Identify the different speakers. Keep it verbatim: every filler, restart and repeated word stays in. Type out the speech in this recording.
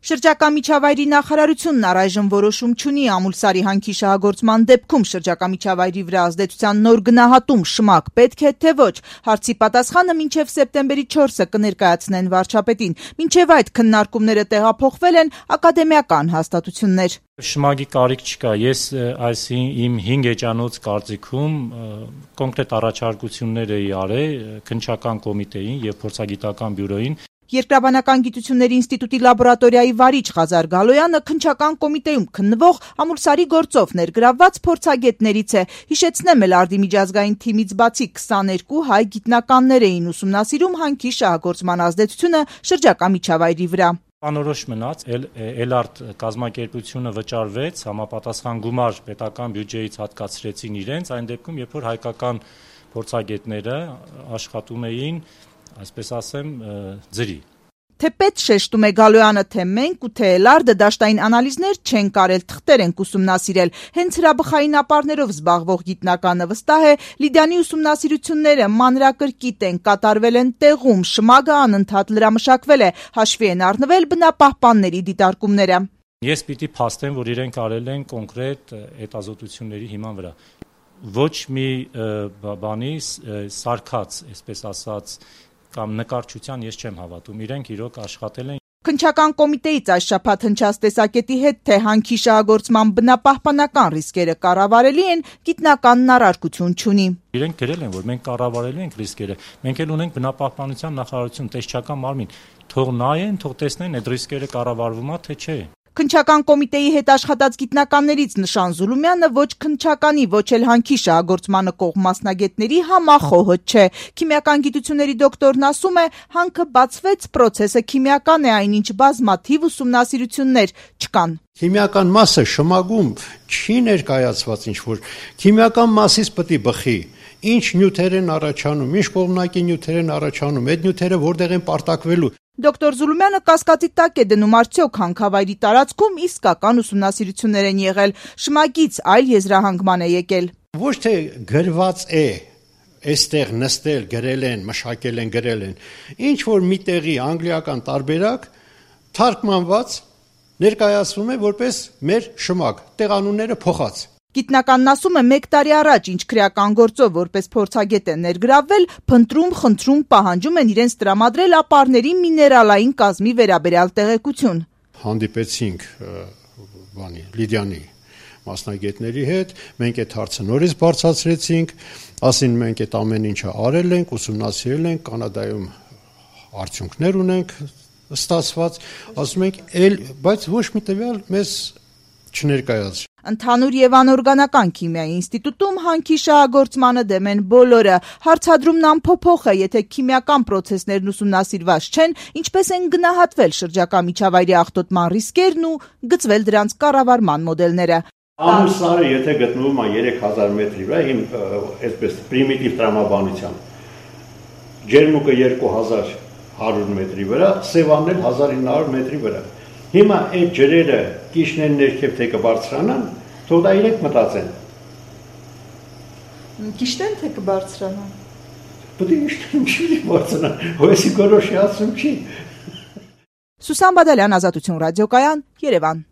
Speaker 1: Շրջակա միջավայրի նախարարությունն առայժմ որոշում չունի Ամուլսարի հանքի շահագործման դեպքում շրջակա միջավայրի վրա ազդեցության նոր գնահատում շմակ պետք է, թե ոչ։ Հարցի պատասխանը մինչև սեպտեմբերի չորսը կներկայացնեն վարչապետին։ Մինչև այդ քննարկումները տեղափոխվել են ակադեմիական հաստատություններ։
Speaker 2: Շմագի կարիք չկա։ Ես այս իմ հինգ էջանոց կարծիքում կոնկրետ առաջարկություններ էի արել քննչական կոմիտեին եւ փորձագիտական բյուրոյին։
Speaker 1: Երկրաբանական գիտությունների ինստիտուտի լաբորատորիայի վարիչ Ղազար Գալոյանը քննչական կոմիտեում քննվող Ամուլսարի գործով ներգրավված փորձագետներից է։ Հիշեցնեմ, Էլարդի միջազգային թիմից բացի քսաներկու հայ գիտնականներ էին ուսումնասիրում հանքի շահագործման ազդեցությունը շրջակա միջավայրի վրա։
Speaker 2: Անորոշ մնաց, Էլարդ կազմակերպությունը վճարվեց, համապատասխան գումար պետական բյուջեից հատկացրեցին իրենց, այն դեպքում, երբ որ հայկական փորձագետները աշխատում էին, այսպես ասեմ, ձրի։
Speaker 1: Թեպետ շեշտում է Գալոյանը, թե մենք ու թե Էլարդը դաշտային անալիզներ չենք արել, թղթեր ենք ուսումնասիրել։ Հենց հրաբխային ապարներով զբաղվող գիտնականը վստահ է, Լիդիանի ուսումնասիրությունները մանրակրկիտ են, կատարվել են տեղում, շմագը անընդհատ լրամշակվել է, հաշվի են առնվել բնապահպանների դիտարկումները։
Speaker 2: Ես պիտի փաստեմ, որ իրենք արել են կոնկրետ հետազոտությունների հիման վրա։ Ոչ մի բանի սարքած, այսպես ասած, կամ նկարչության ես չեմ հավատում, իրենք իրոք աշխատել են։
Speaker 1: Քննչական կոմիտեից այս շաբաթ հնչած տեսակետի հետ, թե հանքի շահագործման բնապահպանական ռիսկերը կառավարելի են, գիտնականն առարկություն չունի։
Speaker 2: Իրենք գրել են, որ մենք կառավարելու ենք ռիսկերը, մենք էլ ունենք բնապահպանության նախարարություն, տեսչական մարմին, թող նայեն, թող տեսնեն այդ ռիսկերը կառավարվում է, թե չէ։
Speaker 1: Քննչական կոմիտեի հետ աշխատած գիտնականներից Նշան Զուլումյանը ոչ քննչականի, ոչ էլ հանքի շահագործմանը կողմ մասնագետների համախոհը չէ։ Քիմիական գիտությունների դոկտորն ասում է, հանքը բացվեց, պրոցեսը քիմիական է, այնինչ բազմաթիվ ուսումնասիրություններ չկան։
Speaker 3: Քիմիական մասը շմագում չի ներկայացված ինչ-որ, քիմիական մասից պետք է բխի։ Ինչ նյութեր են առաջանում, ինչ կողմնակի նյութեր են առաջանում, այդ նյութերը որտեղ են պարտակվելու։
Speaker 1: Դոկտոր Զուլումյանը կասկածի տակ է դնում, արդյոք հանքավայրի տարածքում իսկական ուսումնասիրություններ են եղել, շմագից այլ եզրահանգման է եկել։
Speaker 3: Ոչ թե գրված է, այստեղ նստել, գրել են, մշակել են, գրել են։ Ինչ որ մի տեղի անգլիական տարբերակ թարգմանված ներկայացվում է որպես մեր շմագ, տեղանունները փոխած։
Speaker 1: Գիտնականն ասում է, մեկ տարի առաջ, ինչ քրեական գործով որպես փորձագետ են ներգրավվել, փնտրում, խնդրում, պահանջում են իրենց տրամադրել ապարների միներալային կազմի վերաբերյալ տեղեկություն։
Speaker 3: Հանդիպեցինք բանի Լիդիանի մասնագետների հետ, մենք այդ հարցը նորից բարձրացրեցինք, ասին մենք այդ ամեն ինչը արել ենք, ուսումնասիրել ենք, Կանադայում արդյունքներ ունենք ստացված, ասում ենք, բայց ոչ մի տվյալ մեզ չներկայացրի։
Speaker 1: Ընդհանուր եւ անօրգանական քիմիայի ինստիտուտում հանքի շահագործմանը դեմ են բոլորը։ Հարցադրումն անփոփոխ է, եթե քիմիական պրոցեսներն ուսումնասիրված չեն, ինչպես են գնահատվել շրջակա միջավայրի աղտոտման ռիսկերն ու գծվել դրանց կառավարման մոդելները։
Speaker 3: Ամուլսարը եթե գտնվում է երեք հազար մետրի վրա, իմ այսպես պրիմիտիվ տրամաբանությամբ, ջերմուկը երկու հազար հարյուր մետրի վրա, Սևանն էլ հազար ինը հարյուր մետրի վրա։ Հիմա այդ ջրերը կիշներն ներքև թե կբարձրանան, թող դա իրենք մտածեն։
Speaker 1: Կիշտեն թե կբարձրանան։
Speaker 3: Պետք է իշտեն չի բարձրանան, հույսի գորոշի ասում չի։
Speaker 1: Սուսան Բադալյան, Ազատություն ռադիոկայան, Երևան։